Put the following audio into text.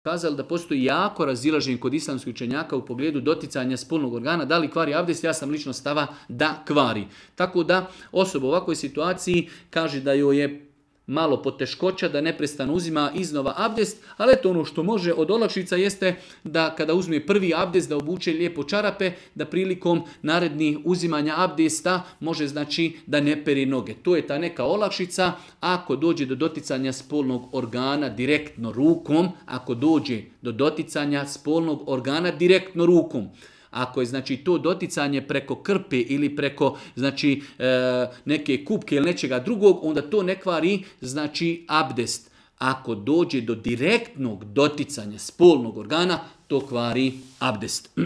kazali da postoji jako razilaženje kod islamskih učenjaka u pogledu doticanja spolnog organa, da li kvari abdest, ja sam lično stava da kvari. Tako da osoba u ovakvoj situaciji kaže da joj je malo poteškoća, da neprestano uzima iznova abdest, ali eto ono što može od olakšica jeste da kada uzme prvi abdest da obuče lijepo čarape, da prilikom narednih uzimanja abdesta može znači da ne peri noge. To je ta neka olakšica. Ako dođe do doticanja spolnog organa direktno rukom, ako je znači to doticanje preko krpe ili preko znači neke kupke ili nečega drugog, onda to ne kvari znači abdest. Ako dođe do direktnog doticanja spolnog organa, to kvari abdest.